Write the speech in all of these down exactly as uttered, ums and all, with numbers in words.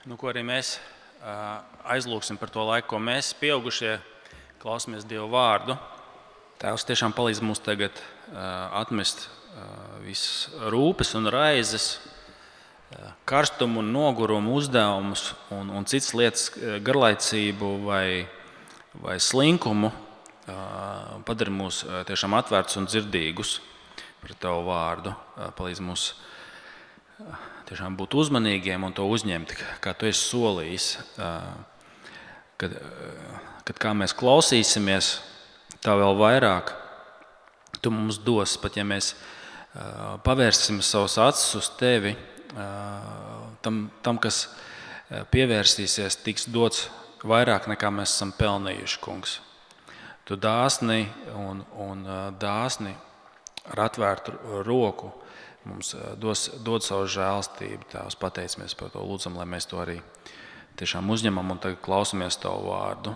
Nu, ko arī mēs aizlūksim par to laiku, ko mēs, pieaugušie, klausamies Dieva vārdu. Tēvs tiešām palīdz mums tagad atmest visas rūpes un raizes, karstumu un nogurumu uzdevumus un, un citas lietas, garlaicību vai, vai slinkumu. Padari mūs tiešām atvērtus un dzirdīgus par Tavu vārdu. Palīdz mums tiešām būt uzmanīgiem un to uzņemt, kā Tu esi solījis. Kad, kad kā mēs klausīsimies, tā vēl vairāk Tu mums dos, pat ja mēs pavērsim savus acis uz Tevi, tam, tam kas pievērsīsies, tiks dots vairāk nekā mēs esam pelnījuši, Kungs. Tu dāsni un, un dāsni ar atvērtu roku mums dos, dod savu žēlstību. Tēvs, pateicamies par to, lūdzam, lai mēs to arī tiešām uzņemam un tagad klausamies Tavu vārdu,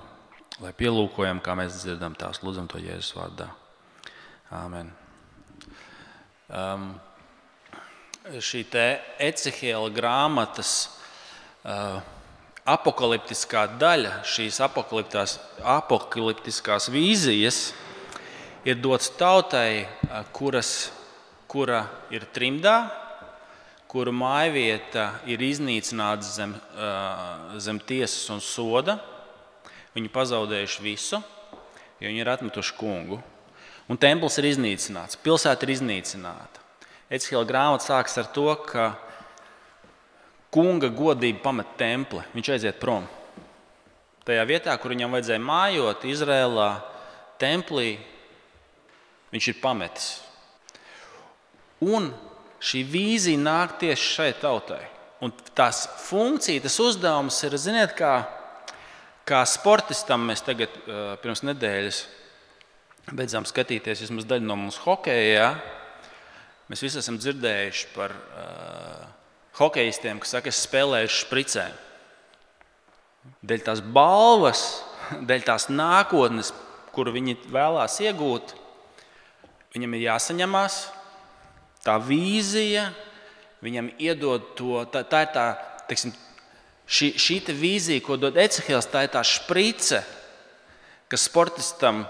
lai pielūkojam, kā mēs dzirdam Tās, lūdzam to Jēzus vārdā. Āmen. Um, šī te Ecehiela grāmatas uh, apokaliptiskā daļa, šīs apokaliptiskās vīzijas ir dots tautai, kuras, kura ir trimdā, kuru mājvieta ir iznīcināta zem, zem tiesas un soda. Viņi pazaudējuši visu, jo viņi ir atmetuši kungu. Un templis ir iznīcināts, pilsēta ir iznīcināta. Ecehiela grāmata sākas ar to, ka kunga godība pamet templi, viņš aiziet prom. Tajā vietā, kur viņam vajadzēja mājot, Izrēlā, templī, viņš ir pametis. Un šī vīzija nāk tieši šai tautai. Un tās funkcija, tas uzdevums ir, ziniet, kā, kā sportistam mēs tagad pirms nedēļas beidzām skatīties vismaz daļu no mums hokejā. Mēs visi esam dzirdējuši par uh, hokejistiem, kas saka, es spēlēju špricēm. Dēļ tās balvas, dēļ tās nākotnes, kuru viņi vēlās iegūt, viņam ir jāsaņemās tā vīzija, viņam iedod to, tā, tā ir tā, teiksim, šī, šī te vīzija, ko dod Ecehiels, tā ir tā šprice, kas sportistam,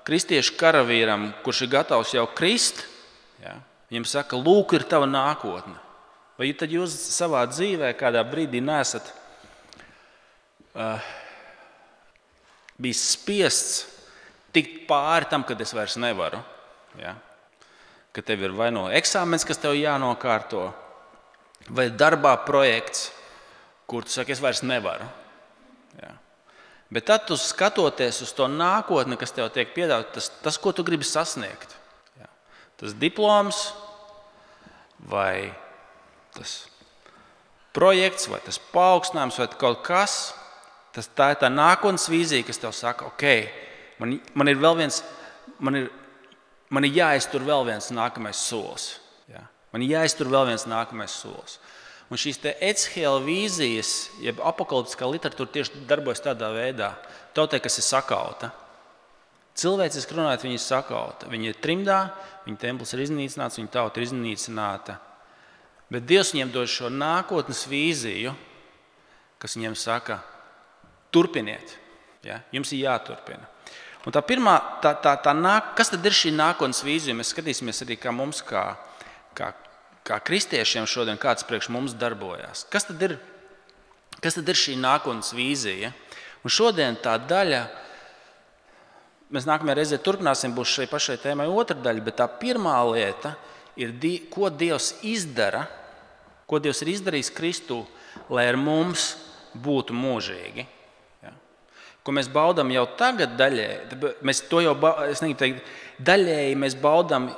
kristiešu karavīram, kurš ir gatavs jau krist, ja, viņam saka, lūk, ir tava nākotne. Vai tad jūs savā dzīvē kādā brīdī neesat uh, bijis spiests tikt pāri tam, kad es vairs nevaru? Ja? Ka tev ir vai no eksāmens, kas tev jānokārto, vai darbā projekts, kur tu saki, es vairs nevaru. Ja? Bet tad tu skatoties uz to nākotni, kas tev tiek piedāvāt, tas, tas, ko tu gribi sasniegt. Ja? Tas diploms, vai tas projekts, vai tas paaugstinājums, vai kaut kas, tas, tā ir tā nākotnes vīzija, kas tev saka, ok, man, man ir vēl viens, man ir, man ir jāiztur vēl viens nākamais solis. Ja? Man ir jāiztur vēl viens nākamais solis. Un šīs te Ecehiela vīzijas, jeb apokaliptiskā literatūra tieši darbojas tādā veidā, tautai, kas ir sakauta. Cilvēciski runājot, viņi ir sakauta. Viņi ir trimdā, viņa templis ir iznīcināts, viņa tauta ir iznīcināta. Bet Dievs viņiem dod šo nākotnes vīziju, kas viņiem saka, turpiniet. Ja? Jums ir jāturpina. Un tā pirmā, tā, tā, tā nāk, kas tad ir šī nākotnes vīzija? Mēs skatīsimies arī, kā mums, kā, kā, kā kristiešiem šodien, kāds priekš mums darbojās. Kas tad ir, kas tad ir šī nākotnes vīzija? Un šodien tā daļa, mēs nākamajā reizē turpināsim, būs šai pašai tēmai otra daļa, bet tā pirmā lieta ir, ko Dievs izdara, ko Dievs ir izdarījis Kristū, lai ar mums būtu mūžīgi. Ja? Ko mēs baudām jau tagad daļēji, mēs to jau, es negribu teikt, daļēji mēs baudām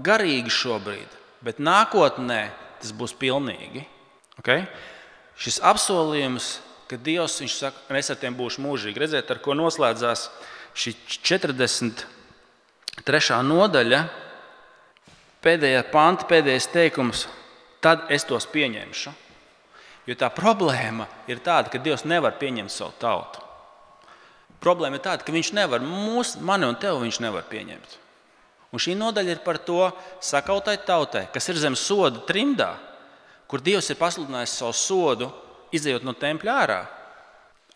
garīgi šobrīd, bet nākotnē tas būs pilnīgi. Okay? Šis apsolījums, ka Dievs, viņš saka, es ar tiem būšu mūžīgi. Redziet, ar ko noslēdzās šī četrdesmit trešā nodaļa, pēdējā panta, pēdējais teikums, tad es tos pieņemšu. Jo tā problēma ir tāda, ka Dievs nevar pieņemt savu tautu. Problēma ir tāda, ka viņš nevar, mūs, mani un tevi viņš nevar pieņemt. Un šī nodaļa ir par to sakautai tautai, kas ir zem soda trimdā, kur Dievs ir pasludinājis savu sodu izejot no tempļa ārā.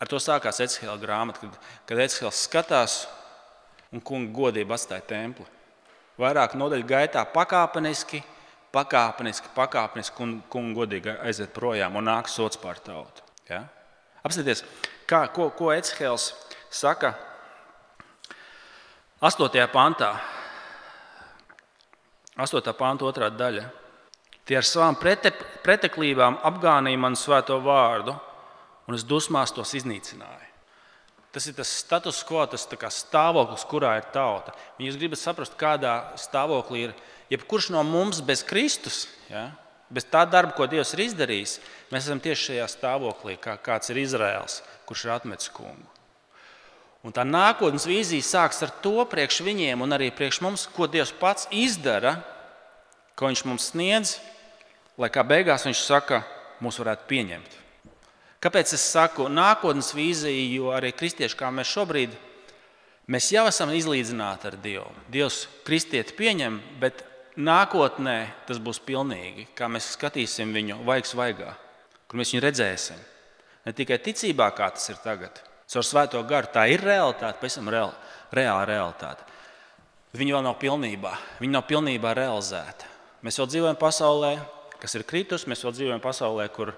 Ar to sākās Ecehēla grāmata, kad, kad Ecehēls skatās un kunga godība atstāja templi. Vairāk nodaļu gaitā pakāpeniski, pakāpeniski, pakāpeniski un kunga godīgi aiziet projām un nāk sots pār tautu. Ja? Apskatieties, kā, ko, ko Ecehēls saka astotajā pantā. astotā panta otrā daļa. Tie ar savām prete, preteklībām apgānīja manu svēto vārdu, un es dusmās tos iznīcināju. Tas ir tas status quo, tas tā kā stāvoklis, kurā ir tauta. Un jūs gribat saprast, kādā stāvoklī ir jebkurš no mums bez Kristus, ja? Bez tā darba, ko Dievs ir izdarījis, mēs esam tieši šajā stāvoklī, kā kāds ir Izraēls, kurš ir atmetis kungu. Un tā nākotnes vīzija sāks ar to priekš viņiem un arī priekš mums, ko Dievs pats izdara, ko viņš mums sniedz, lai kā beigās viņš saka, mūs varētu pieņemt. Kāpēc es saku nākotnes vīzija, jo arī kristieši, kā mēs šobrīd, mēs jau esam izlīdzināti ar Dievu. Dievs kristieti pieņem, bet nākotnē tas būs pilnīgi, kā mēs skatīsim viņu vaigs vaigā, kur mēs viņu redzēsim. Ne tikai ticībā, kā tas ir tagad, caur svēto garu, tā ir realitāte, pēc tam reāla, reāla realitāte. Viņa vēl nav pilnībā, viņa nav pilnībā realizēta. Mēs vēl dzīvojam pasaulē, kas ir kritus, mēs vēl dzīvojam pasaulē, kur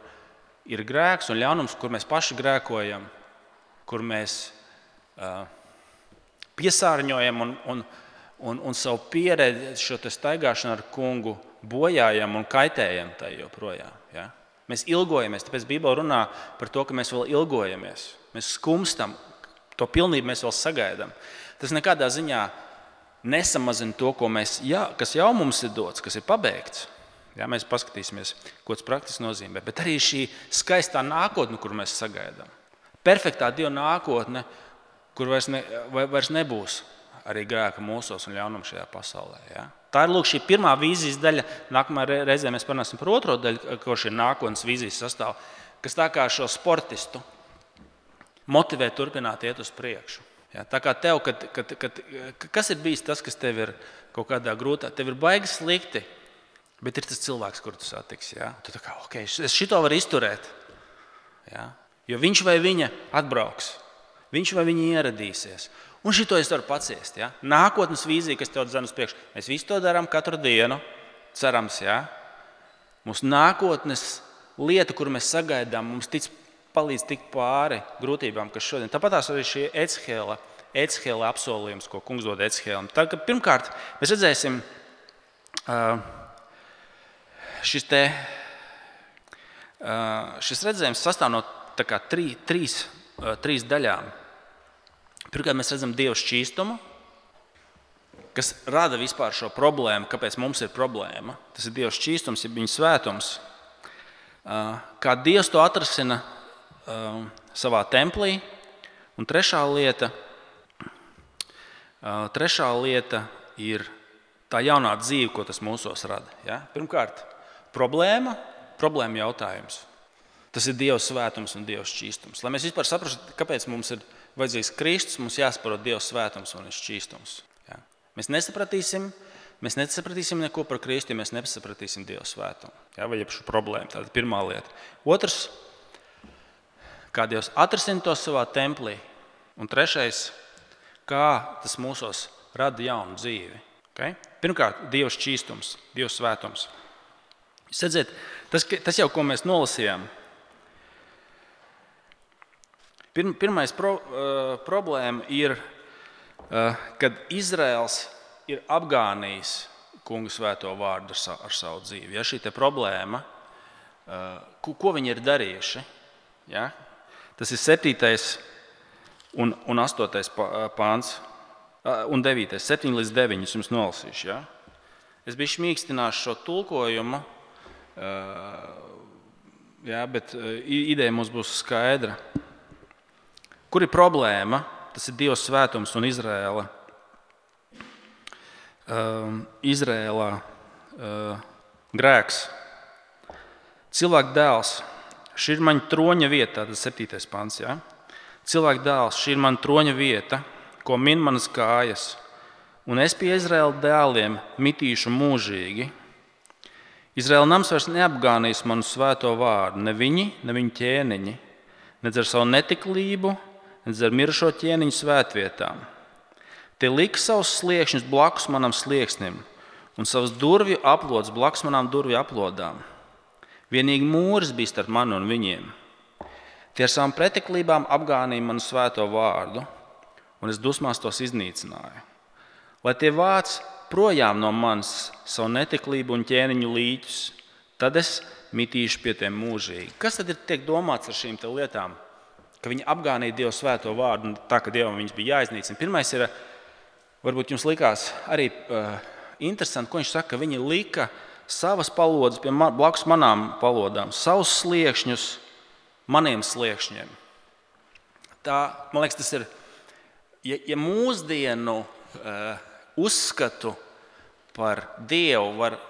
ir grēks un ļaunums, kur mēs paši grēkojam, kur mēs uh, piesārņojam un, un, un, un savu pieredzi, šo te staigāšanu ar kungu bojājam un kaitējam tai joprojām. Ja? Mēs ilgojamies, tāpēc Bībele runā par to, ka mēs vēl ilgojamies. Mēs skumstam, to pilnību mēs vēl sagaidām. Tas nekādā ziņā nesamazina to, ko mēs, jā, kas jau mums ir dots, kas ir pabeigts. Jā, mēs paskatīsimies, ko tas praktiski nozīmē. Bet arī šī skaistā nākotne, kur mēs sagaidām. Perfektā Dieva nākotne, kur vairs, ne, vairs nebūs arī grēka mūsos un ļaunuma šajā pasaulē. Jā. Tā ir lūk šī pirmā vīzijas daļa. Nākamā reizē mēs parunāsim par otro daļu, ko šī nākotnes vīzijas sastāv, kas tā kā šo sportistu motivē turpināt iet uz priekšu. Ja, tā kā tev, kad, kad, kad, kas ir bijis tas, kas tev ir kaut kādā grūtā, tev ir baigi slikti, bet ir tas cilvēks, kuru tu satiksi. Ja? Tu tā kā, ok, es šito varu izturēt. Ja? Jo viņš vai viņa atbrauks, viņš vai viņa ieradīsies. Un šito es varu paciest. Ja? Nākotnes vīzija, kas tev dzen uz priekšu. Mēs visu to darām katru dienu, cerams. Ja? Mūsu nākotnes lieta, kuru mēs sagaidām, mums tic palīdz tikt pāri grūtībām, kas šodien. Tāpat arī šī Ecehēla, Ecehēla apsolījums, ko kungs dod Ecehēlam. Tad, kad pirmkārt mēs redzēsim šis, te, šis redzējums sastāv no tā kā trī, trīs, trīs daļām. Pirmkārt mēs redzam Dieva šķīstumu, kas rada vispār šo problēmu, kāpēc mums ir problēma. Tas ir Dieva šķīstums, ja viņa svētums. Kā Dievs to atrasina Uh, savā templī. Un trešā lieta, uh, trešā lieta ir tā jaunā dzīve, ko tas mūsos rada. Ja? Pirmkārt, problēma, problēma jautājums. Tas ir Dieva svētums un Dieva šķīstums. Lai mēs vispār saprastu, kāpēc mums ir vajadzīgs Kristus, mums jāsaprot Dieva svētums un šķīstums. Ja? Mēs nesapratīsim, mēs nesapratīsim neko par Kristu, ja mēs nesapratīsim Dieva svētumu. Ja? Vai jeb šo problēmu. Tā ir pirmā lieta. Otrs, kā Dievs atrasina to savā templī. Un trešais, kā tas mūsos rada jaunu dzīvi. Okay? Pirmkārt, Dieva šķīstums, Dieva svētums. Jūs redzat, tas, tas jau, ko mēs nolasījām. Pirm, pirmais pro, uh, problēma ir, uh, kad Izraels ir apgānījis kungu svēto vārdu ar savu, ar savu dzīvi. Ja, šī te problēma, uh, ko, ko viņi ir darījuši, ja? Tas ir septītais un, un astotais pāns un devītais, septiņi līdz deviņi jums nolasīšu. Ja? Es biju šmīkstināšu šo tulkojumu, ja, bet ideja mums būs skaidra. Kur ir problēma? Tas ir Dieva svētums un Izraēla, Izraēlā grēks. Cilvēka dēls. Šī ir mana troņa vieta, tas ir septītais pants. Ja? Cilvēka dēls, šī ir mana troņa vieta, ko min manas kājas, un es pie Izraēla dēliem mitīšu mūžīgi. Izraēla nams vairs neapgānīs manu svēto vārdu, ne viņi, ne viņu ķēniņi, nedz ar savu netiklību, nedz ar mirušo ķēniņu svētvietām. Tie lika savus sliekšņus blakus manam slieksnim un savus durvju aplodes blakus manām durvju aplodām. Vienīgi mūris bija starp mani un viņiem. Tie ar savām pretiklībām apgānīja manu svēto vārdu, un es dusmās tos iznīcināju. Lai tie vāc projām no manis savu netiklību un ķēniņu līķus, tad es mitīšu pie tiem mūžīgi. Kas tad ir tiek domāts ar šīm te lietām? Ka viņi apgānīja Dievu svēto vārdu, un tā, ka Dievam viņas bija jāiznīcina. Pirmais ir, varbūt jums likās arī uh, interesanti, ko viņš saka, ka viņi lika savas palodas pie man, blakus manām palodām, savus sliekšņus maniem sliekšņiem. Tā, man liekas, tas ir, ja, ja mūsdienu uh, uzskatu par Dievu var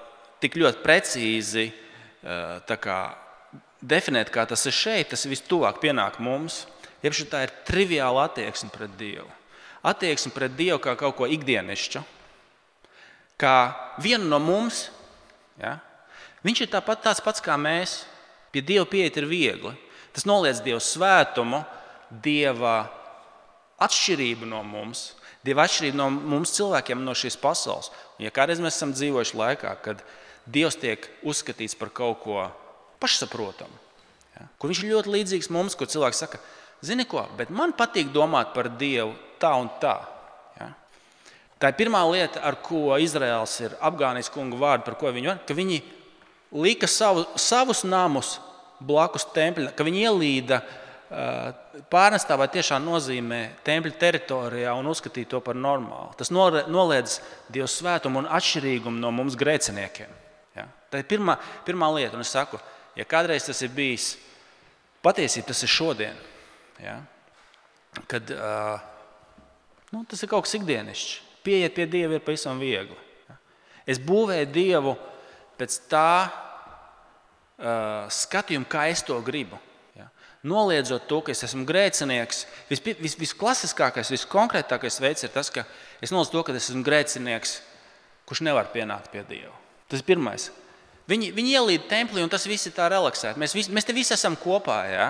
tik ļoti precīzi uh, tā kā definēt, kā tas ir šeit, tas vistuvāk pienāk mums, jebši tā ir triviāla attieksme pret Dievu. Attieksme pret Dievu kā kaut ko ikdienišķu, kā vienu no mums. Ja? Viņš ir tāpat tāds pats kā mēs. Pie Dieva pieiet ir viegli. Tas noliedz Dieva svētumu, Dieva atšķirību no mums, Dieva atšķirību no mums cilvēkiem no šīs pasaules. Un ja kādreiz mēs esam dzīvojuši laikā, kad Dievs tiek uzskatīts par kaut ko pašsaprotamu, ja? Kur viņš ir ļoti līdzīgs mums, kur cilvēks saka, zini ko, bet man patīk domāt par Dievu tā un tā. Ja? Tā ir pirmā lieta, ar ko Izraēls ir apgānījis kungu vārdu, par ko viņi var, ka viņi lika savu, savus namus blakus tempļa, ka viņi ielīda pārnestā vai tiešām nozīmē tempļa teritorijā un uzskatīja to par normālu. Tas noliedz Dieva svētumu un atšķirīgumu no mums grēciniekiem. Ja? Tā ir pirmā, pirmā lieta, un es saku, ja kādreiz tas ir bijis, patiesībā tas ir šodien, ja? Kad uh, nu, tas ir kaut kas ikdienišķs. Pieiet pie Dieva ir pavisam viegli. Ja? Es būvēju Dievu pēc tā uh, skatījuma, kā es to gribu. Ja? Noliedzot to, ka es esmu grēcinieks, vis, vis, visklasiskākais, viskonkrētākais veids ir tas, ka es noliedzu to, ka es esmu grēcinieks, kurš nevar pienākt pie Dieva. Tas ir pirmais. Viņi, viņi ielīd templī, un tas viss ir tā relaksēti. Mēs, vis, mēs te visi esam kopā. Ja?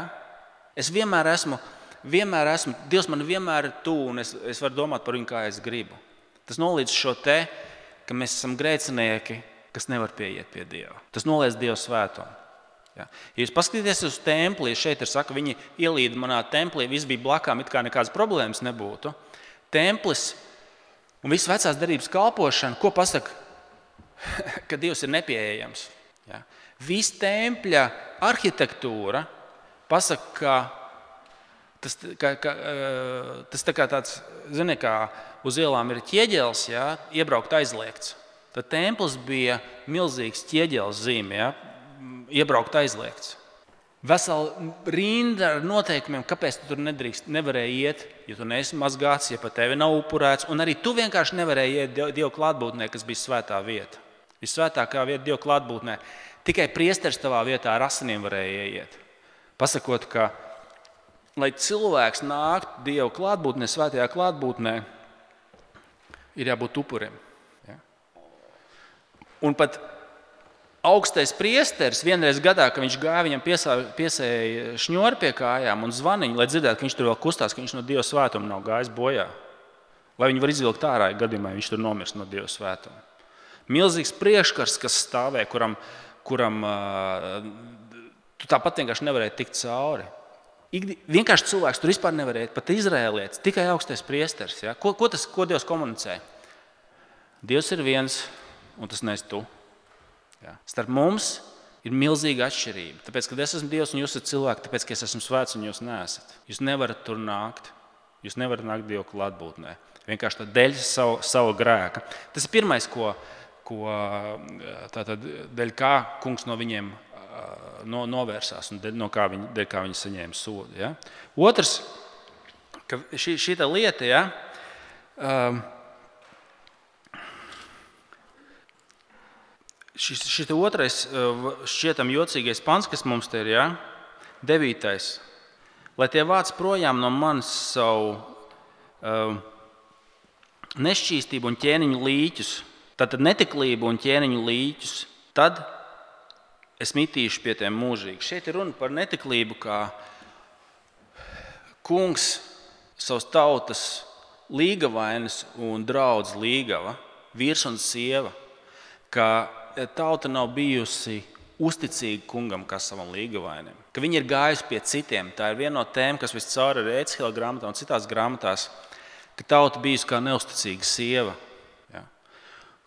Es vienmēr esmu, vienmēr esmu, Dievs man vienmēr ir tuvu, un es, es varu domāt par viņu, kā es gribu. Tas noliedz šo te, ka mēs esam grēcinieki, kas nevar pieiet pie Dieva. Tas noliedz Dieva svētumu. Ja? Ja jūs paskatīties uz templi, šeit ir saka, viņi ielīda manā templī, viss bija blakām, it kā nekādas problēmas nebūtu. Templis un viss vecās derības kalpošana, ko pasaka? Ka Dievs ir nepieejams. Ja? Viss tempļa arhitektūra pasaka, ka tas, ka, ka, tas tā kā tāds, zini, kā uz ielām ir ķieģelis, ja? Iebraukt aizliegts. Tad templis bija milzīgs ķieģelis zīme, ja? Iebraukt aizliegts. Vesela rinda ar noteikumiem, kāpēc tu tur nedrīkst, nevarēji iet, ja tu neesi mazgāts, ja pa tevi nav upurēts, un arī tu vienkārši nevarēji iet Dieva klātbūtnē, kas bija svētā vieta. Visvētākā vieta Dieva klātbūtnē. Tikai priesteris tavā vietā ar asinīm varēja iet. Pasakot, ka, lai cilvēks nākt Dieva klātbūtnē, svētajā klātbūtnē, ir jābūt upurim. Ja? Un pat augstais priesteris vienreiz gadā, ka viņš gāja, viņam piesā, piesēja šņori pie kājām un zvaniņu, lai dzirdētu, ka viņš tur vēl kustās, ka viņš no Dieva svētuma nav gājis bojā. Lai viņi var izvilkt ārā, ja gadījumā viņš tur nomirst no Dieva svētuma. Milzīgs priekškars, kas stāvē, kuram, kuram tu tāpat vienkārši nevarēji tikt cauri. Ikdi, vienkārši cilvēks tur vispār nevarēja, pat izrēlietis, tikai augstais priesteris. Ja? Ko, ko, tas, ko Dievs komunicē? Dievs ir viens, un tas neesi tu. Ja? Starp mums ir milzīga atšķirība. Tāpēc, kad es esmu Dievs un jūs esat cilvēki, tāpēc, ka es esmu svēts un jūs neesat. Jūs nevarat tur nākt. Jūs nevarat nākt Dieva klātbūtnē. Vienkārši tā dēļ savu, savu grēka. Tas ir pirmais, ko, ko tātad, dēļ kā kungs no viņiem no, novērsās un dēļ, no kā viņi, dēļ kā viņi saņēma sodu. Ja? Otrs, ka šī, šī tā lieta, ja, um, šis, šis otrais šķietam jocīgais pants, kas mums te ir, ja, devītais. Lai tie vāc projām no manis savu uh, nešķīstību un ķēniņu līķus, tātad netiklību un ķēniņu līķus, tad es mitīšu pie tiem mūžīgi. Šeit ir runa par netiklību, kā kungs savas tautas līgavainis un draudz līgava, vīrs un sieva, ka tauta nav bijusi uzticīga kungam kā savam līgavainim, ka viņi ir gājusi pie citiem. Tā ir viena no tēmām, kas viscaur ir Ēcihela grāmatā un citās grāmatās, ka tauta bijusi kā neusticīga sieva, ja,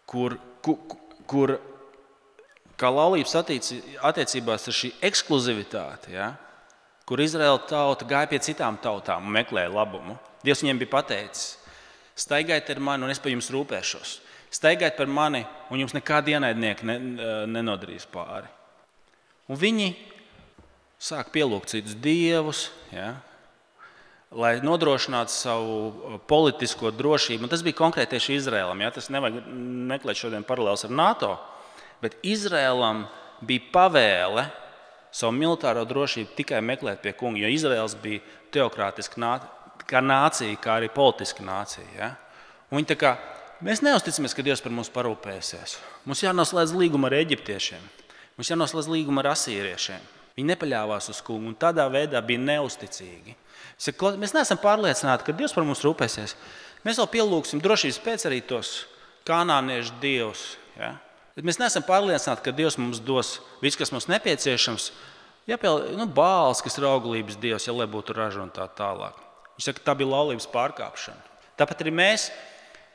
kur, kur, kur kā laulības attiecībās ir šī ekskluzivitāte, ja, kur Izraēla tauta gāja pie citām tautām un meklēja labumu. Dievs viņiem bija pateicis: staigājiet ar mani un es par jums rūpēšos. Staigājiet par mani un jums nekādi ienaidnieki ne, nenodarīs pāri. Un viņi sāk pielūgt citus dievus, ja, lai nodrošinātu savu politisko drošību. Un tas bija konkrēti tieši Izraēlam. Ja. Tas nevajag meklēt šodien paralēlus ar NATO, bet Izraēlam bija pavēle savu militāro drošību tikai meklēt pie kunga, jo Izraēls bija teokrātiska nācija, kā nācija, kā arī politiska nācija. Ja. Un viņi tā kā, mēs neusticamies, ka Dievs par mums parūpēsies. Mums jānoslēdz līguma ar eģiptiešiem, mums jānoslēdz līguma ar asīriešiem. Viņi nepaļāvās uz kungu un tādā veidā bija neusticīgi. Mēs neesam pārliecināti, ka Dievs par mums rūpēsies. Mēs vēl pielūgsim drošības pēc arī tos kanāniešu dievus. Ja? Bet mēs neesam pārliecināti, ka Dievs mums dos visu, kas mums nepieciešams. Jāpiel, nu, Bāls, kas ir auglības dievs, ja lai būtu raža un tā tālāk. Viņš saka, tā bija laulības pārkāpšana. Tāpat arī mēs,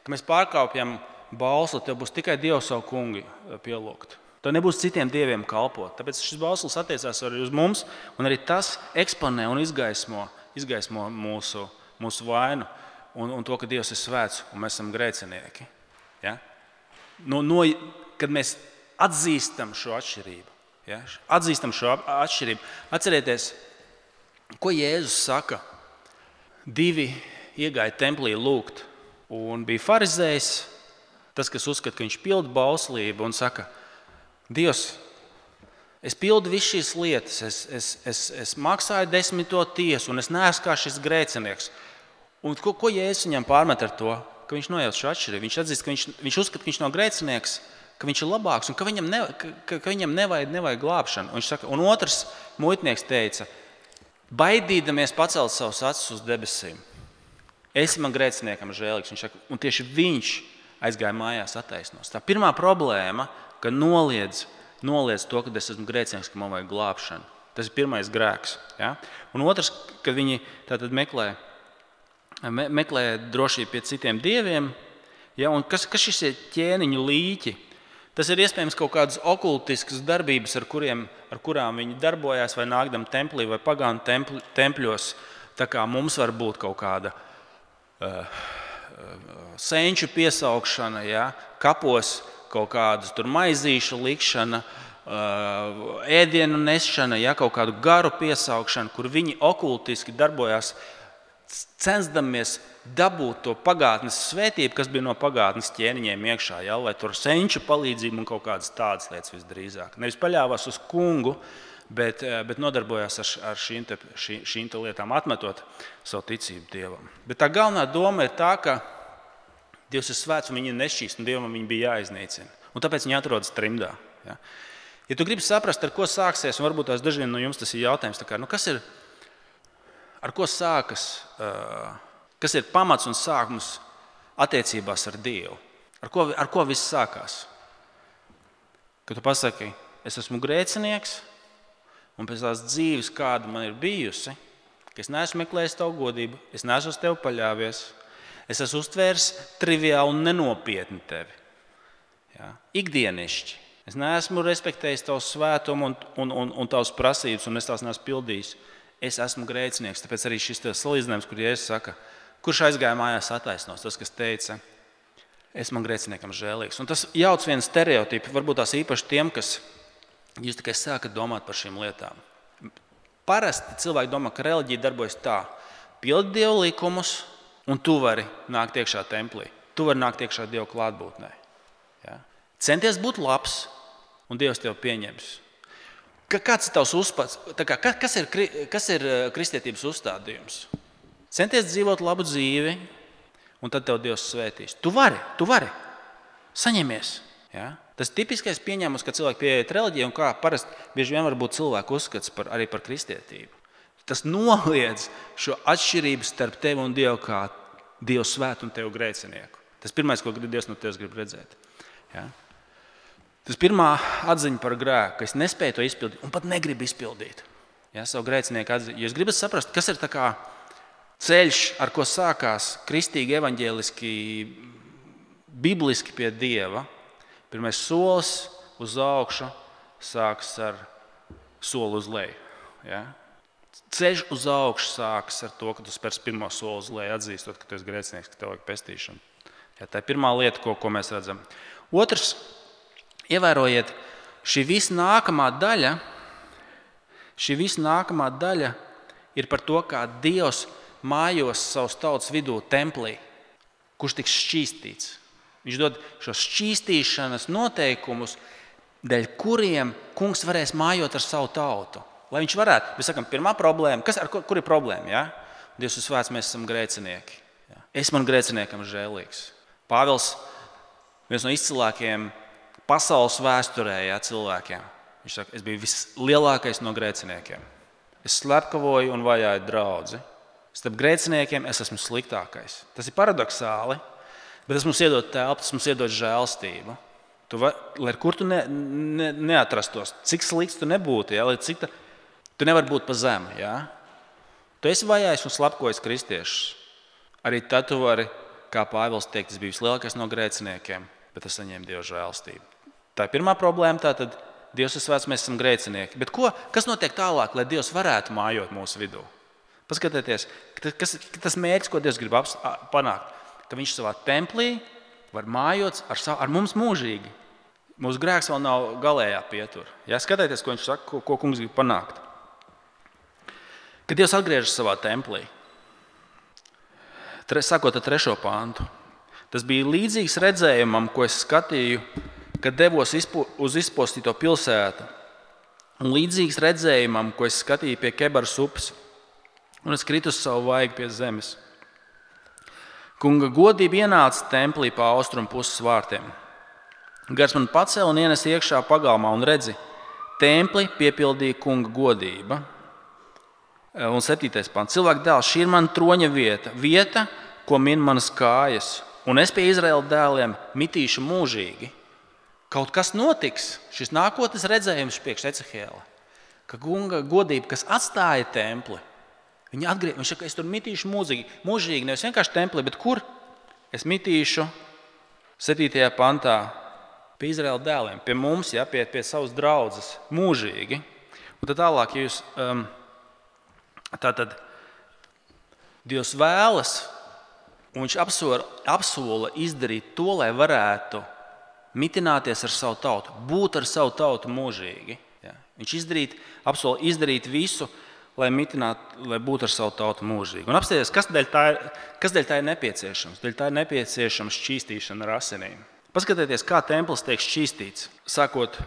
ka mēs pārkāpjam Bāls, tev būs tikai Dievu savu kungu pielūgt. Tev nebūs citiem dieviem kalpot. Tāpēc šis Bāls attiecās arī uz mums, un arī tas eksponē un izgaismo, izgaismo mūsu, mūsu vainu un, un to, ka Dievs ir svēts un mēs esam grēcinieki. Ja? No, no, kad mēs atzīstam šo atšķirību, ja? atzīstam šo atšķirību, atcerieties, ko Jēzus saka. Divi iegāja templī lūgt, un bija farizējs, tas, kas uzskata, ka viņš pilda bauslību un saka: Dievs, es pildu visu šīs lietas, es, es, es, es maksāju desmito tiesu, un es neesmu kā šis grēcinieks. Un ko, ko Jēzus viņam pārmet ar to? Ka viņš nojauc šo atšķirību. Viņš atzīst, ka viņš, viņš uzskata, ka viņš nav grēcinieks, ka viņš ir labāks un ka viņam, ne, ka, ka viņam nevajag, nevajag glābšanu. Un, viņš saka, un otrs muitnieks teica, baidīdamies pacelt savus acis uz debesīm: esi man grēciniekam žēlīgs. Viņš saka, un tieši viņš aizgāja mājās attaisnos. Tā pirmā problēma, ka noliedz, noliedz to, ka es esmu grēcinieks, ka man vajag glābšanu. Tas ir pirmais grēks. Ja? Un otrs, kad viņi tātad meklē, me, meklē drošību pie citiem dieviem, ja? Un kas, kas šis ir ķēniņu līķi? Tas ir iespējams kaut kādas okultiskas darbības, ar, kuriem, ar kurām viņi darbojās vai nākdam templī vai pagānu templi, tempļos. Tā kā mums var būt kaut kāda uh, uh, senču piesaukšana, ja? Kapos, kaut kādas tur maizīšu likšana, ēdienu nešana, ja, kaut kādu garu piesaukšanu, kur viņi okultiski darbojās, censdamies dabūt to pagātnes svētību, kas bija no pagātnes ķēniņiem iekšā, ja, lai tur senču palīdzību un kaut kādas tādas lietas visdrīzāk. Nevis paļāvās uz kungu, bet, bet nodarbojās ar, ar šīm, te, šī, šīm te lietām, atmetot savu ticību Dievam. Bet tā galvenā doma ir tā, ka Dievs ir svēts un viņi ir nešķīst, un Dievam viņi bija jāiznīcina. Un tāpēc viņi atrodas trimdā. Ja, ja tu gribi saprast, ar ko sāksies, un varbūt tās dažiem no jums tas ir jautājums, tā kā, nu kas ir, ar ko sākas, uh, kas ir pamats un sākums attiecībās ar Dievu? Ar ko, ar ko viss sākās? Kad tu pasaki, es esmu grēcinieks, un pēc tās dzīves, kāda man ir bijusi, ka es neesmu meklējis tavu godību, es neesmu uz tevi paļāvies, es esmu uztvērs triviāli un nenopietni tevi. Ja? Ikdienišķi. Es neesmu respektējis tavu svētumu un, un, un, un tavas prasības, un es tās neesmu pildījis. Es esmu grēcinieks. Tāpēc arī šis salīdzinājums, kur Jēzus saka, kurš aizgāja mājās attaisnos, tas, kas teica, es man grēciniekam žēlīgs. Un tas jauc vienu stereotipu, varbūt tās īpaši tiem, kas jūs tikai sākat domāt par šīm lietām. Parasti cilvēki domā, ka reliģija darbojas tā: pildi Dievu likumus, un tu vari nākt iekšā templī. Tu vari nākt iekšā Dieva klātbūtnē. Ja? Centies būt labs, un Dievs tevi pieņems. Kāds ir tavs uzpats? Kā, kas, ir, kas ir kristietības uzstādījums? Centies dzīvot labu dzīvi, un tad tev Dievs svētīs. Tu vari, tu vari. Saņemies. Ja? Tas tipiskais pieņēmums, ka cilvēki pieiet reliģiju un kā parasti bieži vien var būt cilvēku uzskats par, arī par kristietību. Tas noliedz šo atšķirību starp tevi un Dievu kā Dievu svētu un tevu grēcinieku. Tas pirmais, ko Dievs no tevis grib redzēt. Ja? Tas pirmā atziņa par grēku, ka es nespēju to izpildīt un pat negribu izpildīt. Ja, savu grēcinieku atziņu. Jūs gribat saprast, kas ir tā kā ceļš, ar ko sākās kristīgi, evaņģēliski, bibliski pie Dieva. Pirmais solis uz augšu sākas ar soli uz leju. Ja? Ceļš uz augšu sākas ar to, ka tu spērs pirmo soli uz leju, atzīstot, ka tu esi grēcinieks, ka tev vajag pestīšanu. Ja, tā ir pirmā lieta, ko, ko mēs redzam. Otrs, ievērojiet, šī visa nākamā daļa, šī visa nākamā daļa ir par to, kā Dievs mājos savas tautas vidū templī, kurš tiks šķīstīts. Viņš dod šos šķīstīšanas noteikumus, dēļ kuriem kungs varēs mājot ar savu tautu. Lai viņš varētu, mēs sakam, pirmā problēma, kas, ar, kur ir problēma? Ja? Dievs ir svēts, mēs esam grēcinieki. Ja? Es man grēciniekam žēlīgs. Pāvils, viens no izcilākajiem pasaules vēsturē, ja, cilvēkiem. Viņš saka, es biju vislielākais no grēciniekiem. Es slepkavoju un vajāju draudzi. Starp grēciniekiem es esmu sliktākais. Tas ir paradoxāli, bet tas mums iedod telpu, tas mums iedod žēlstību. Tu var, lai kur tu ne, ne, neatrastos, cik slikts tu nebūtu, ja, lai cik ta, tu nevari būt pa zemu. Ja. Tu esi vajājis un slepkojis kristiešus. Arī tad tu vari, kā Pāvils teikt, es biju vislielākais no grēciniekiem, bet es saņēmu Dieva žēlstību. Tā ir pirmā problēma, tātad Dievs ir svēts, mēs esam grēcinieki. Bet ko, kas notiek tālāk, lai Dievs varētu mājot mūsu vidū? Paskatieties, kas ir tas mērķis, ko Dievs grib panākt. Ka viņš savā templī var mājot ar, ar mums mūžīgi. Mūsu grēks vēl nav galējā pietura. Ja, skatieties, ko viņš saka, ko, ko kungs grib panākt. Kad Dievs atgriežas savā templī, tre, sakot ar trešo pāntu, tas bija līdzīgs redzējumam, ko es skatīju, kad devos izpo, uz izpostīto pilsētu. Un līdzīgs redzējumam, ko es skatīju pie Kebaras upes. Un es kritu uz savu vaigu pie zemes. Kunga godība ienāca templī pa austrumu puses vārtiem. Gars man pacēla un ienes iekšā pagalmā un redzi, templi piepildīja kunga godība. Un septītais pants. Cilvēku dēls, šī ir mana troņa vieta, vieta, ko min manas kājas. Un es pie Izraēla dēliem mitīšu mūžīgi. Kaut kas notiks, šis nākotnes redzējums priekš Ecehēla, ka kunga godība, kas atstāja templi, viņa atgriez, viņš saka, es tur mitīšu mūžīgi, mūžīgi, nevis vienkārši templī, bet kur? Es mitīšu septītajā pantā pie Izraēla dēliem, pie mums, ja, pie, pie savas draudzes, mūžīgi. Un tad tālāk, ja jūs, um, tātad, Dievs vēlas, un viņš apsola, apsola izdarīt to, lai varētu mitināties ar savu tautu, būt ar savu tautu mūžīgi. Ja. Viņš izdarīt, apsola izdarīt visu, lai mitinātu, lai būtu ar savu tautu mūžīgi. Un apstāties, kas dēļ tā ir, kas dēļ tā ir nepieciešams? Dēļ tā ir nepieciešams šķīstīšana ar asinīm. Paskatieties, kā templis tiek šķīstīts, sākot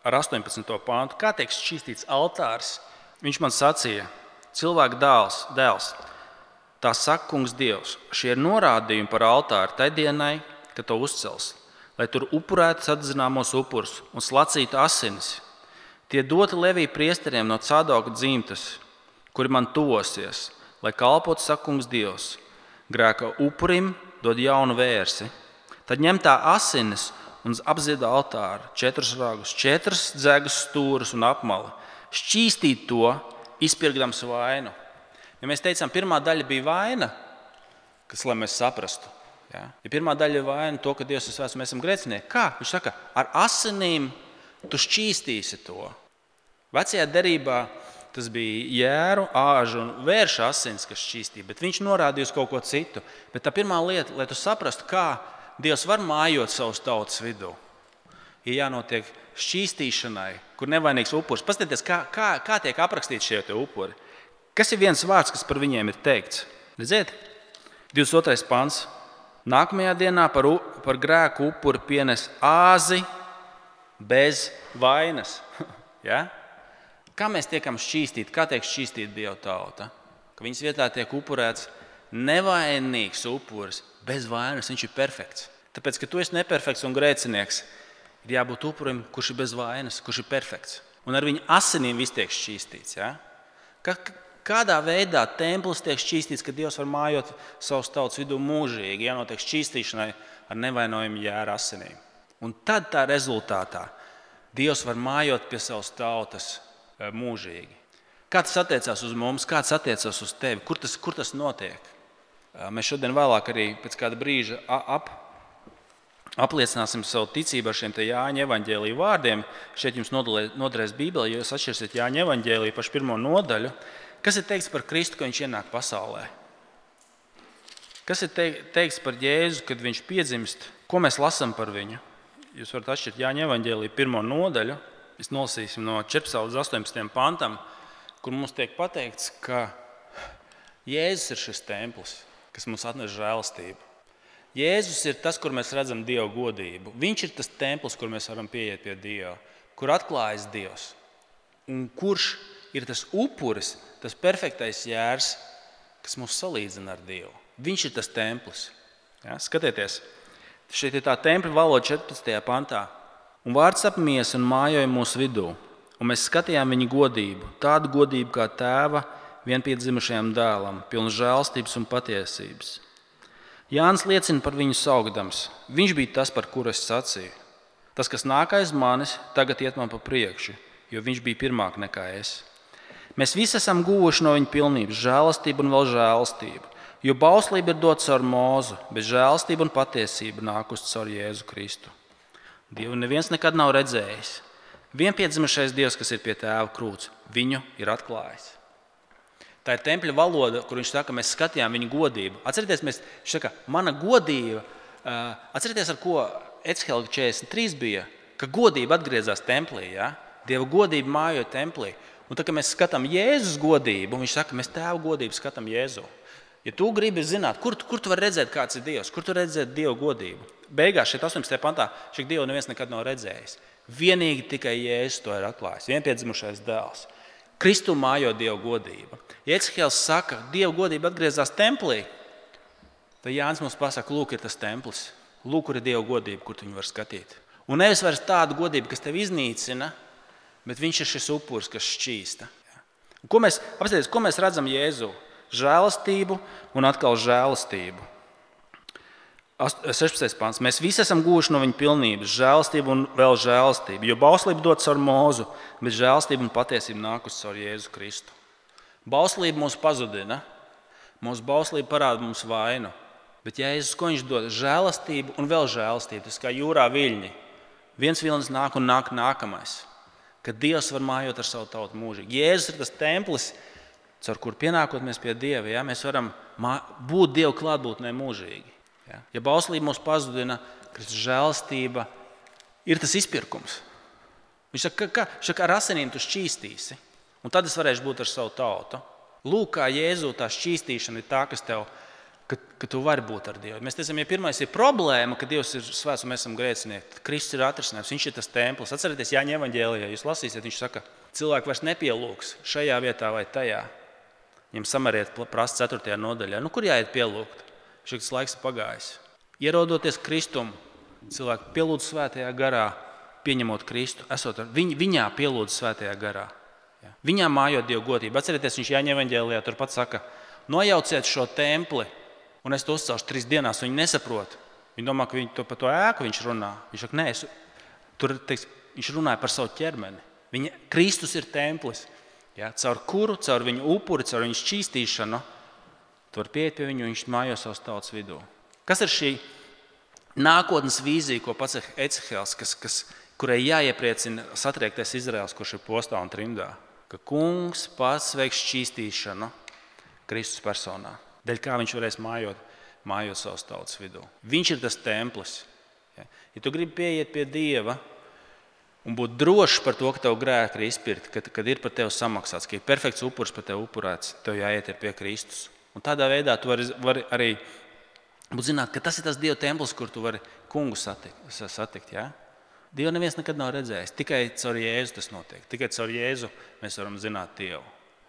ar astoņpadsmito pāntu. Kā tiek šķīstīts altārs? Viņš man sacīja, cilvēka dēls, dēls, tā saka kungs Dievs, šie ir norādījumi par altāru tai dienai, kad to uzcels, lai tur upurētu sadzināmos upurus un slacītu asinis. Tie doti Levija priesteriem no Cadoka dzimtas, kuri man tuvosies, lai kalpotu saka kungs Dievs. Grēka upurim dod jaunu vērsi. Tad ņem tā asinis un apzieda altāru, četrus ragus, četras dzegas stūrus un apmali. Šķīstīt to, izpirkdams vainu. Ja mēs teicām, pirmā daļa bija vaina, kas, lai mēs saprastu. Ja, ja pirmā daļa ir vaina to, ka Dievs ir svēts, mēs esam grēcinieki. Kā? Viņš saka, ar asinīm tu šķīstīsi to. Vecajā derībā tas bija jēru, āžu un vēršu asins, kas šķīstīja, bet viņš norādīja uz kaut ko citu. Bet tā pirmā lieta, lai tu saprastu, kā Dievs var mājot savus tautas vidū, ir jānotiek šķīstīšanai, kur nevainīgs upuris. Paskatieties, kā, kā, kā tiek aprakstīti šie te upuri. Kas ir viens vārds, kas par viņiem ir teikts? Redziet, divdesmit otrais pants. Nākamajā dienā par, par grēku upuri pienes āzi bez vainas. Ja? Kā mēs tiekam šķīstīti? Kā tiek šķīstīta Dieva tauta? Ka viņas vietā tiek upurēts nevainīgs upuris bez vainas. Viņš ir perfekts. Tāpēc, ka tu esi neperfekts un grēcinieks, Ir jābūt upurim, kurš ir bez vainas, kurš ir perfekts. Un ar viņa asinīm viss tiek šķīstīts. Ja? Ka, kādā veidā templis tiek šķīstīts, ka Dievs var mājot savus tautas vidū mūžīgi, jānotiek šķīstīšanai ar nevainojumu jēra asinīm. Un tad tā rezultātā Dievs var mājot pie savas tautas mūžīgi. Kā tas attiecās uz mums, kā tas attiecās uz tevi, kur tas, kur tas notiek? Mēs šodien vēlāk arī pēc kāda brīža ap, apliecināsim savu ticību ar šiem te Jāņa evaņģēlija vārdiem. Šeit jums noderēs Bībele, jo jūs atšķirsiet Jāņa evaņģēliju pašu pirmo nodaļu. Kas ir teikts par Kristu, ka viņš ienāk pasaulē? Kas ir teikts par Jēzu, kad viņš piedzimst? Ko mēs lasām par viņu? Jūs varat atšķirt Jāņa evaņģēlija pirmo nodaļu. Mēs nolasīsim no četrpadsmitā līdz astoņpadsmitajam pantam, kur mums tiek pateikts, ka Jēzus ir šis templis, kas mums atnes žēlastību. Jēzus ir tas, kur mēs redzam Dieva godību. Viņš ir tas templis, kur mēs varam pieiet pie Dieva, kur atklājas Dievs. Un kurš ir tas upuris, tas perfektais jērs, kas mūs salīdzina ar Dievu. Viņš ir tas templis. Ja, skatieties, šeit ir tā tempļa valoda četrpadsmitajā pantā. Un vārds apmies un mājoja mūsu vidū. Un mēs skatījām viņa godību, tādu godību kā tēva vienpiedzimušajam dēlam, pilnu žēlstības un patiesības. Jānis liecina par viņu saukdams. Viņš bija tas, par kuru es sacīju. Tas, kas nāk aiz manis, tagad iet man pa priekšu, jo viņš bija pirmāk nekā es. Mēs visi esam guvuši no viņa pilnības žēlastību un vēl žēlastību, jo bauslība ir dota caur Mūzu, bet žēlastība un patiesība nākusi caur Jēzu Kristu. Dievu neviens nekad nav redzējis. Vienpiedzimušais Dievs, kas ir pie tēva krūts, viņu ir atklājis. Tā ir tempļa valoda, kur viņš saka, mēs skatījām viņa godību. Atcerieties, mēs, viņš saka, mana godība, atcerieties, ar ko Echelga četrdesmit trīs bija, ka godība atgriezās templī, ja? Dieva godība mājoja templī. Un tā, kad mēs skatām Jēzus godību, viņš saka, mēs tēva godību skatām Jēzu. Ja tu gribi zināt, kur, kur tu vari redzēt, kāds ir Dievs, kur tu vari redzēt Dieva godību, beigās šeit astoņpadsmitajā pantā šī Dievu neviens nekad nav redzējis. Vienīgi tikai Jēzus to ir atklājis, vienpiedzimušais dēls. Kristu mājo Dieva godība. Ja Ecehēls saka, Dieva godība atgriezās templī, tad Jānis mums pasaka, lūk, ir tas templis. Lūk, kur ir Dieva godība, kur tu viņu var skatīt. Un nevis vairs tāda godība, kas tevi iznīcina, bet viņš ir šis upuris, kas šķīsta. Un ko mēs, apstāties, ko mēs redzam Jēzu? Žēlastību un atkal žēlastību. sešpadsmitais pants. Mēs visi esam guvuši no viņa pilnības, žēlastību un vēl žēlastību, jo bauslība dot caur Mūzu, bet žēlastība un patiesība nākusi caur Jēzu Kristu. Bauslība mūs pazudina, mūsu bauslība parāda mums vainu, bet Jēzus, ko viņš dod? Žēlastību un vēl žēlastību, tas kā jūrā viļņi. Viens vilnis nāk un nāk nākamais, kad Dievs var mājot ar savu tautu mūžīgi. Jēzus ir tas templis, caur kur pienākot mēs pie Dieva, ja, mēs varam būt Dieva klātbūtnē mūžīgi. Ja, ja bauslība mūs pazudina, Kristus žēlastība ir tas izpirkums. Viņš saka, ka, ka ar asinīm tu šķīstīsi, un tad es varēšu būt ar savu tautu. Lūk, kā Jēzu tā šķīstīšana ir tā, kas tev, ka, ka tu vari būt ar Dievu. Mēs teicam, ja pirmais ir problēma, ka Dievs ir svēts un mēs esam grēcinieki, tad Kristus ir atrisinājums, viņš ir tas templis. Atcerieties, Jāņa evaņģēlijā, jūs lasīsiet, viņš saka, cilvēki vairs nepielūgs šajā vietā vai tajā. Viņam samariet prasa ceturtajā nodaļā. Nu, kur jāiet pielūgt? Šis laiks ir pagājis. Ierodoties Kristum, cilvēki pielūdz svētajā garā, pieņemot Kristu, esot ar viņ, viņā pielūdz svētajā garā. Ja. Viņā mājot Dievu godību. Atcerieties, viņš Jāņa evaņģēlijā turpat saka, nojauciet šo templi, un es to uzcelšu trīs dienās, viņi nesaprot. Viņi domā, ka viņi to, par to ēku viņš runā. Viņš saka, nē, es, tur, teiks, viņš runāja par savu ķermeni. Viņa, Kristus ir templis, ja, caur kuru, caur viņu upuri, caur viņu šķīstīšanu, tu vari pieiet pie viņu, viņš mājo savas tautas vidū. Kas ir šī nākotnes vīzija, ko pats Ecehēls, kas, kas, kurai jāiepriecina satriektais Izraels, kurš ir postā un trimdā? Ka kungs pats veiks šķīstīšanu Kristus personā. Dēļ kā viņš varēs mājot, mājot savas tautas vidū. Viņš ir tas templis. Ja, ja tu gribi pieiet pie Dieva un būt drošs par to, ka tev grēki ir izpirkti, kad, kad ir par tevi samaksāts, ka ir perfekts upuris par tevi upurēts, tev jāiet pie Kristus. Un tādā veidā tu vari, vari arī būt zināt, ka tas ir tas Dieva templis, kur tu vari kungu satikt. satikt ja? Dievu neviens nekad nav redzējis. Tikai caur Jēzu tas notiek. Tikai caur Jēzu mēs varam zināt Dievu.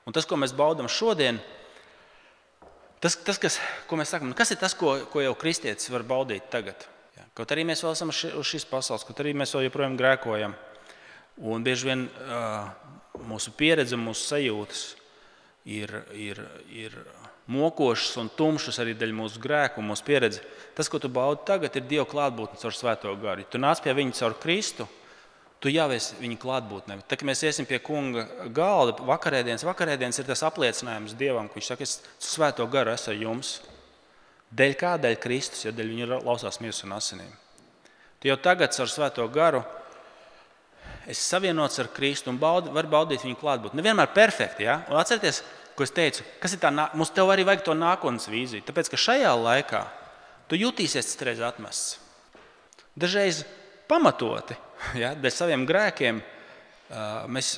Un tas, ko mēs baudam šodien, tas, tas kas, ko mēs sakam, kas ir tas, ko, ko jau kristietis var baudīt tagad? Ja. Kaut arī mēs vēl esam uz šīs pasaules, kaut arī mēs vēl joprojām grēkojam. Un bieži vien uh, mūsu pieredze, mūsu sajūtas ir, ir, ir mokošas un tumšas arī dēļ mūsu grēku un mūsu pieredze. Tas, ko tu baudi tagad, ir Dieva klātbūtne caur Svēto garu. Ja tu nāc pie viņa caur Kristu, tu jau esi viņa klātbūtnē. Tad, kad mēs iesim pie kunga galda, vakarēdienas, vakarēdienas ir tas apliecinājums Dievam, ka viņš saka, es Svēto garu esmu ar jums. Dēļ kā? Dēļ Kristus, jo dēļ viņa lausās miesas un asinīm. Tu jau tagad caur Svēto garu esi savienots ar Kristu un baudi, var baudīt viņu klātbūtni. Nevienmēr perfekti, ja? Un atcerieties, ko es teicu, kas ir tā, mums tev arī vajag to nākotnes vīziju. Tāpēc, ka šajā laikā tu jutīsies citreiz atmests. Dažreiz pamatoti, ja? Dēļ saviem grēkiem mēs,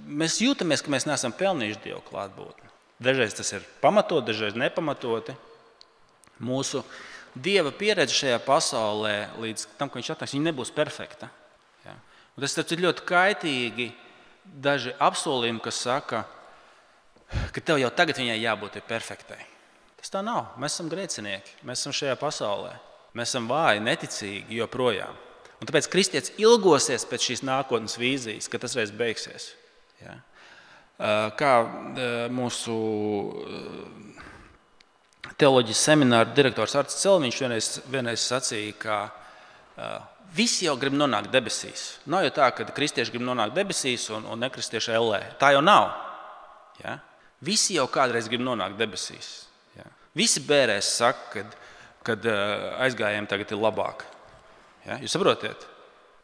mēs jūtamies, ka mēs neesam pelnījuši Dievu klātbūtni. Dažreiz tas ir pamatot, dažreiz nepamatoti. Mūsu Dieva pieredze šajā pasaulē līdz tam, ka viņš atnāks, viņa nebūs perfekta. Ja? Un tas ir ļoti kaitīgi daži apsolījumi, kas saka, ka tev jau tagad viņai jābūt perfektai. Tas tā nav. Mēs esam grēcinieki. Mēs esam šajā pasaulē. Mēs esam vāji, neticīgi joprojām. Un tāpēc kristietis ilgosies pēc šīs nākotnes vīzijas, ka tas reiz beigsies. Ja? Kā mūsu teoloģijas semināra direktors Arts Celmiņš vienreiz, vienreiz sacīja, ka uh, visi jau grib nonākt debesīs. Nav jau tā, ka kristieši grib nonākt debesīs un, un nekristieši ellē. Tā jau nav. Ja? Visi jau kādreiz grib nonākt debesīs. Ja? Visi bērēs saka, kad, kad uh, aizgājiem tagad ir labāk. Ja? Jūs saprotiet?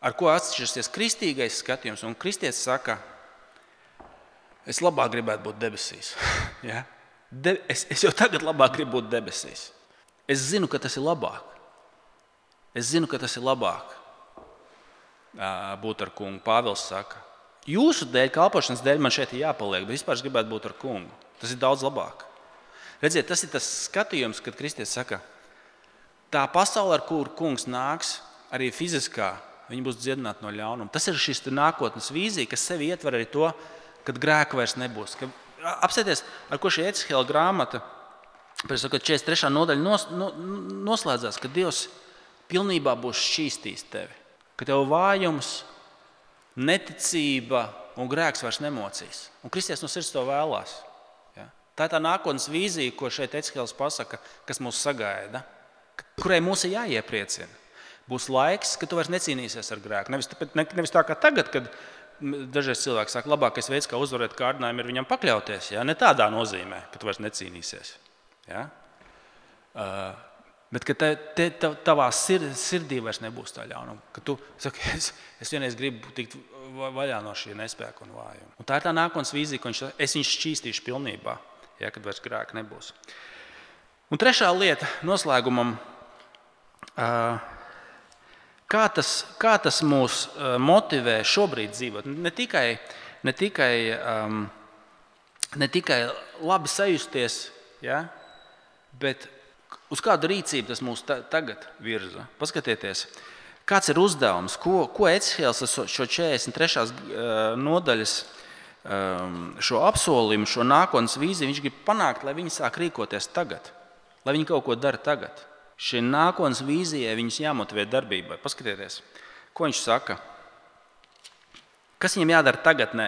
Ar ko atšķirsies kristīgais skatījums? Un kristietis saka, es labāk gribētu būt debesīs. Ja? De, es, es jau tagad labāk gribu būt debesīs. Es zinu, ka tas ir labāk. Es zinu, ka tas ir labāk būt ar kungu. Pāvils saka, jūsu dēļ, kalpošanas dēļ man šeit ir jāpaliek, bet vispār es gribētu būt ar kungu. Tas ir daudz labāk. Redziet, tas ir tas skatījums, kad kristietis saka, tā pasaule, ar kuru kungs nāks, arī fiziskā, viņi būs dziedināti no ļaunuma. Tas ir šis nākotnes vīzija, kas sevi ietver arī to, kad grēka vairs nebūs. Ka apsēties, ar ko šī Ecihēla grāmata, četrdesmit trešā nodaļa nos, no, noslēdzās, ka Dievs pilnībā būs šķīstījis tevi. Ka tev vājums, neticība un grēks vairs nemocīs. Un kristietis no sirds to vēlās. Ja? Tā ir tā nākotnes vīzija, ko šeit Ecihēls pasaka, kas mūs sagaida, kurai mūs ir jāiepriecina. Būs laiks, ka tu vairs necīnīsies ar grēku. Nevis, nevis tā kā tagad, kad dažreiz cilvēki saka, labākais veids, kā uzvarēt kārdinājumu, ir viņam pakļauties. Ja? Ne tādā nozīmē, ka tu vairs necīnīsies. Ja? Uh, bet ka te, te, tavā sir, sirdī vairs nebūs tā ļaunuma. Ka tu saki, es, es vienreiz gribu tikt vaļā no šī nespēka un vājuma. Un tā ir tā nākotnes vīzija, ka viņš, es viņu šķīstīšu pilnībā, ja? Kad vairs grēka nebūs. Un trešā lieta noslēgumam. Uh, Kā tas, kā tas mūs motivē šobrīd dzīvot? Ne tikai, ne tikai, um, ne tikai labi sajusties, ja? Bet uz kādu rīcību tas mūs ta, tagad virza. Paskatieties, kāds ir uzdevums, ko, ko Ecihēls šo četrdesmit trešās nodaļas um, šo apsolījumu, šo nākotnes vīziju, viņš grib panākt, lai viņi sāk rīkoties tagad, lai viņi kaut ko dara tagad. Šī nākotnes vīzijai viņus jāmotivē darbībai. Paskatieties, ko viņš saka. Kas viņam jādara tagadnē?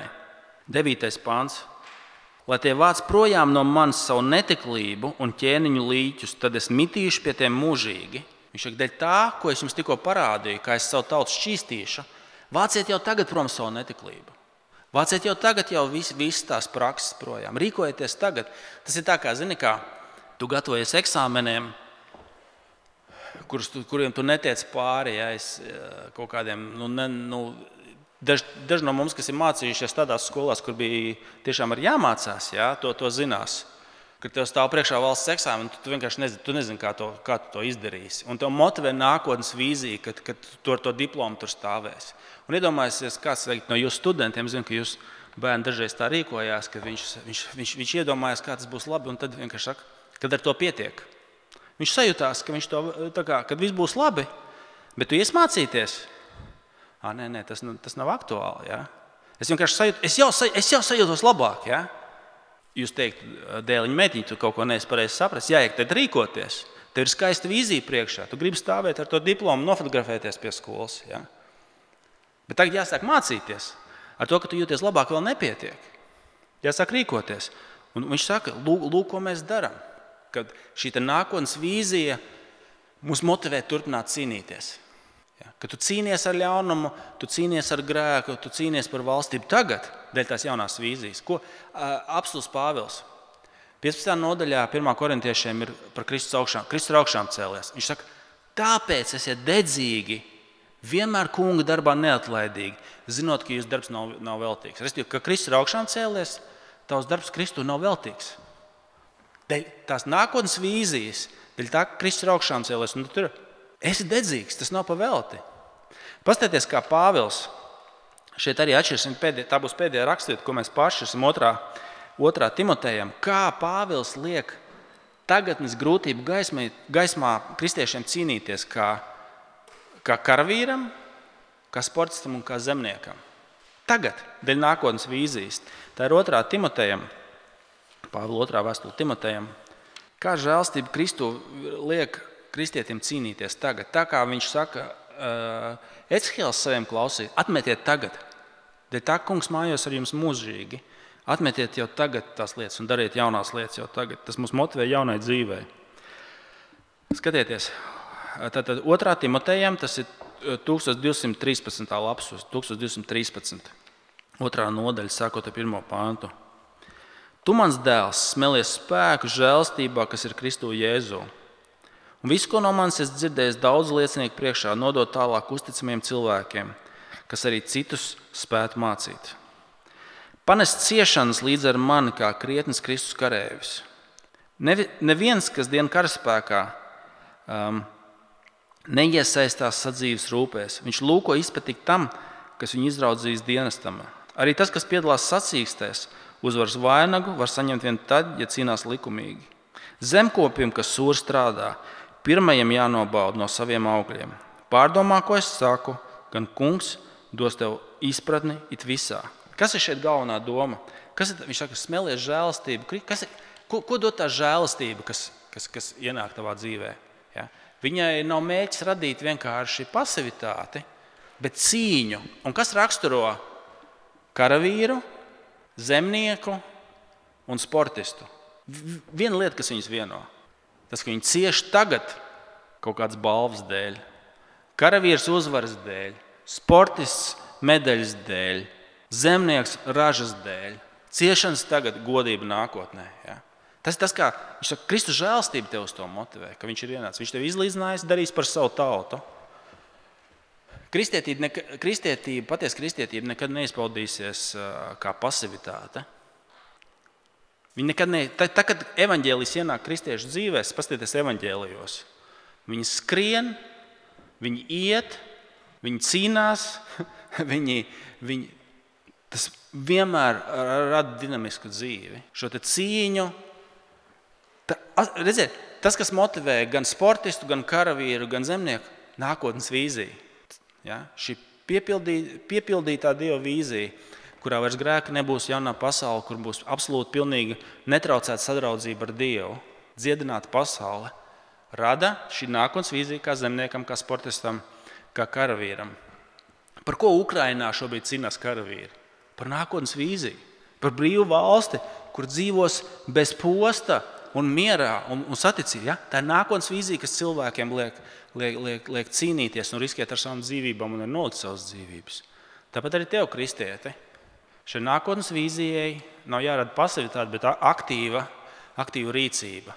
devītais pāns. Lai tie vāc projām no manis savu netiklību un ķēniņu līķus, tad es mitīšu pie tiem mūžīgi. Viņš saka, dēļ tā, ko es jums tikko parādīju, kā es savu tautu šķīstīšu, vāciet jau tagad prom savu netiklību. Vāciet jau tagad jau vis, visas tās prakses projām. Rīkojieties tagad. Tas ir tā kā, zini, kā tu gatavojies eksāmeniem, Kurus, kuriem tu netiec pāri, ja, es, kaut kādiem, nu, ne, nu, daži, daži no mums, kas ir mācījušies tādās skolās, kur bija tiešām arī jāmācās, ja, to, to zinās. Kad tev stāv priekšā valsts eksāmeni, tu vienkārši nezini, tu nezini kā, to, kā tu to izdarīsi. Un tev motivē nākotnes vīzija, kad, kad tu ar to diplomu tur stāvēsi. Un iedomājieties, kāds no jūsu studentiem, zinu, ka jūs bērni dažreiz tā rīkojās, ka viņš, viņš, viņš, viņš iedomājās, kā tas būs labi, un tad vienkārši saka, kad ar to pietiek. Viņš sajūtās, ka viņš to, tā kā, kad viss būs labi, bet tu ies mācīties. Ā, nē, nē, tas, tas nav aktuāli. Ja? Es vienkārši sajūtu, es jau, es jau sajūtos labāk. Ja? Jūs teikt, dēliņa meitiņa, tu kaut ko neesi pareizi saprast. Jāiek tad rīkoties. Tev ir skaista vīzija priekšā. Tu gribi stāvēt ar to diplomu, nofotografēties pie skolas. Ja? Bet tagad jāsāk mācīties. Ar to, ka tu jūties labāk, vēl nepietiek. Jāsāk rīkoties. Un viņš saka, lūk, lūk ko mēs darām. Kad šī nākotnes vīzija mūs motivē turpināt cīnīties. Ja? Kad tu cīnies ar ļaunumu, tu cīnies ar grēku, tu cīnies par valstību tagad, dēļ tās jaunās vīzijas. Ko apstults Pāvils piecpadsmitajā nodaļā pirmā korintiešiem ir par Kristus augšām, Kristus augšām cēlies. Viņš saka, tāpēc esiet dedzīgi, vienmēr kunga darbā neatlaidīgi, zinot, ka jūsu darbs nav, nav veltīgs. Restīvi, ka Kristus augšām cēlies, tavs darbs Kristu nav veltīgs. Dēļ tās nākotnes vīzijas, dēļ tā, ka Kristus augšām cēlies, un tu tur esi dedzīgs, tas nav pa velti. Pastieties, kā Pāvils, šeit arī atšķirsim, tā būs pēdējā rakstvieta, ko mēs pašķirsim otrā, otrā Timotejam, kā Pāvils liek tagadnes grūtību gaismā, gaismā kristiešiem cīnīties kā, kā karavīram, kā sportistam un kā zemniekam. Tagad, dēļ nākotnes vīzijas. Tā ir otrā Timotejam, Pāvila otrā vēstule Timotejam, kā žēlstība Kristu liek kristietim cīnīties tagad. Tā kā viņš saka, uh, Ecihēls saviem klausīt, atmetiet tagad. Dēļ tā, kungs mājos ar jums mūžīgi. Atmetiet jau tagad tās lietas un dariet jaunās lietas jau tagad. Tas mūs motivē jaunai dzīvei. Skatieties, tātad otrā Timotejam, tas ir tūkstoš divsimt trīspadsmitā lapsus, tūkstoš divsimt trīspadsmit. Otrā nodaļa, sākot ar pirmo pāntu. Tu, mans dēls, smelies spēku žēlstībā, kas ir Kristu Jēzu. Un visu, ko no manis es dzirdējis daudz liecinieku priekšā, nodot tālāk uzticamiem cilvēkiem, kas arī citus spētu mācīt. Panest ciešanas līdz ar mani kā krietnes Kristus karēvis. Neviens, kas dien karaspēkā, um, neiesaistās sadzīves rūpēs. Viņš lūko izpatikt tam, kas viņu izraudzījis dienestam. Arī tas, kas piedalās sacīkstēs, uzvaras vainagu var saņemt vien tad, ja cīnās likumīgi. Zemkopim, kas sūri strādā, pirmajam jānobauda no saviem augļiem. Pārdomā, ko es saku, gan kungs dos tev izpratni it visā. Kas ir šeit galvenā doma? Kas ir, viņš saka, smelies žēlastību. Kas ir, ko, ko dod tā žēlastība, kas, kas, kas ienāk tavā dzīvē? Ja? Viņai nav mērķis radīt vienkārši pasivitāti, bet cīņu. Un kas raksturo karavīru, zemnieku un sportistu? Viena lieta, kas viņus vieno. Tas, ka viņi cieš tagad kaut kādas balvas dēļ, karavīrs uzvaras dēļ, sportists medaļas dēļ, zemnieks ražas dēļ, ciešanas tagad, godība nākotnē. Ja? Tas ir tas, kā viņš saka, Kristus žēlstība tev uz to motivē, ka viņš ir ienācis. Viņš tev izlīdzinājis, darīs par savu tautu. Kristietība, neka, kristietība patiesa kristietība nekad neizpaudīsies uh, kā pasivitāte. Viņi nekad ne, tā, tā, kad evaņģēlijs ienāk kristiešu dzīvēs, paskatieties evaņģēlijos. Viņi skrien, viņi iet, viņi cīnās, viņi, viņi, tas vienmēr rada dinamisku dzīvi. Šo te cīņu, tā, redziet, tas, kas motivē gan sportistu, gan karavīru, gan zemnieku, nākotnes vīzija. Ja? Šī piepildī, piepildītā Dieva vīzija, kurā vairs grēka nebūs, jaunā pasaule, kur būs absolūti pilnīgi netraucēta sadraudzība ar Dievu, dziedināta pasaule, rada šī nākotnes vīzija kā zemniekam, kā sportistam, kā karavīram. Par ko Ukrainā šobrīd cīnās karavīri? Par nākotnes vīziju, par brīvu valsti, kur dzīvos bez posta un mierā un, un saticībā. Ja? Tā ir nākotnes vīzija, kas cilvēkiem liek, liek, liek, liek cīnīties un riskēt ar savām dzīvībām un ar nolikt savas dzīvības. Tāpat arī tev, kristieti. Šai nākotnes vīzijai nav jārada pasivitāte, bet aktīva, aktīva rīcība.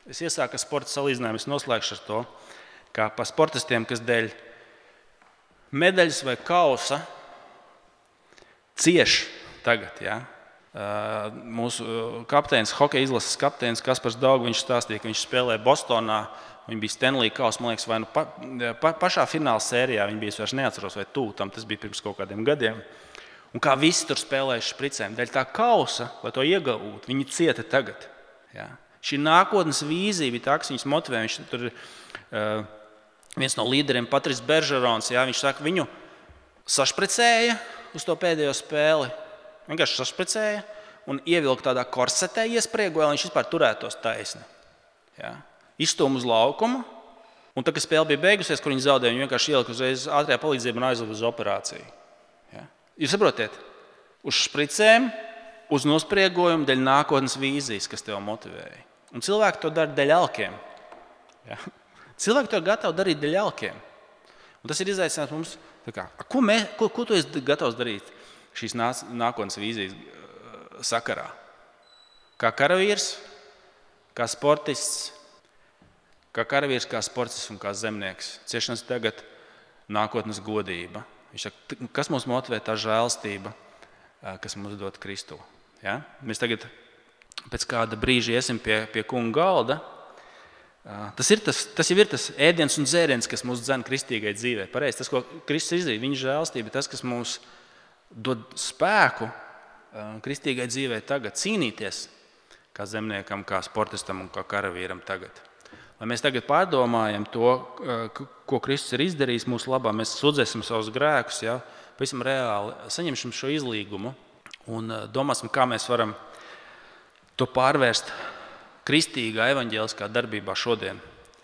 Es iesāku ar sporta salīdzinājumu, es noslēgšu ar to, kā par sportistiem, kas dēļ medaļas vai kausa cieš tagad. Ja? Mūsu kapteinis, hokeja izlases kapteinis Kaspars Daug, viņš stāstīja, ka viņš spēlēja Bostonā, viņi bija Stanley kausa, man liekas, vai nu pa, pa, pašā fināla sērijā, viņi bija, es vairs neatceros, vai tū, tam tas bija pirms kaut kādiem gadiem. Un kā visi tur spēlējuši špricēm. Dēļ tā kausa, lai to iegūtu, viņi cieta tagad. Ja? Šī nākotnes vīzija bija tā, kas viņus motivē. Viņš tur uh, viens no līderiem, Patris Beržerons, ja? Viņš saka, viņu sašpricēja uz to pēdējo spēli. Vienkārši sašpricēja un ievilka tādā korsetē, iespriegoja, lai viņš vispār turētos taisni. Ja? izstūma uz laukumu, un tad, kad spēle bija beigusies, kur viņi zaudēja, viņi vienkārši ielika uzreiz ātrajā palīdzībā un aizveda uz operāciju. Ja? Jūs saprotiet? Uz špricēm, uz nospriegojumu, dēļ nākotnes vīzijas, kas tev motivēja. Un cilvēki to dara dēļ alkiem. Ja? Cilvēki to gatavi darīt dēļ alkiem. Un tas ir izaicinājums mums. Kā, ko, mē, ko, ko tu esi gatavs darīt šīs nākotnes vīzijas sakarā? Kā karavīrs, kā sportists, kā karavīrs, kā sportists un kā zemnieks. Ciešanas tagad, nākotnes godība. Viņš saka, kas mums motivē? Tā žēlstība, kas mums dod Kristu. Ja? Mēs tagad pēc kāda brīža iesim pie, pie kunga galda. Tas, ir tas, tas jau ir tas ēdiens un dzēriens, kas mūs dzen kristīgai dzīvē. Pareizi, tas, ko Kristus izdarīja, viņa žēlstība, tas, kas mums dod spēku kristīgai dzīvē tagad cīnīties, kā zemniekam, kā sportistam un kā karavīram tagad. Lai mēs tagad pārdomājam to, ko Kristus ir izdarījis mūsu labā, mēs sudzēsim savus grēkus, ja, pavisam reāli saņemsim šo izlīgumu un domāsim, kā mēs varam to pārvērst kristīgā evaņģēliskā darbībā šodien.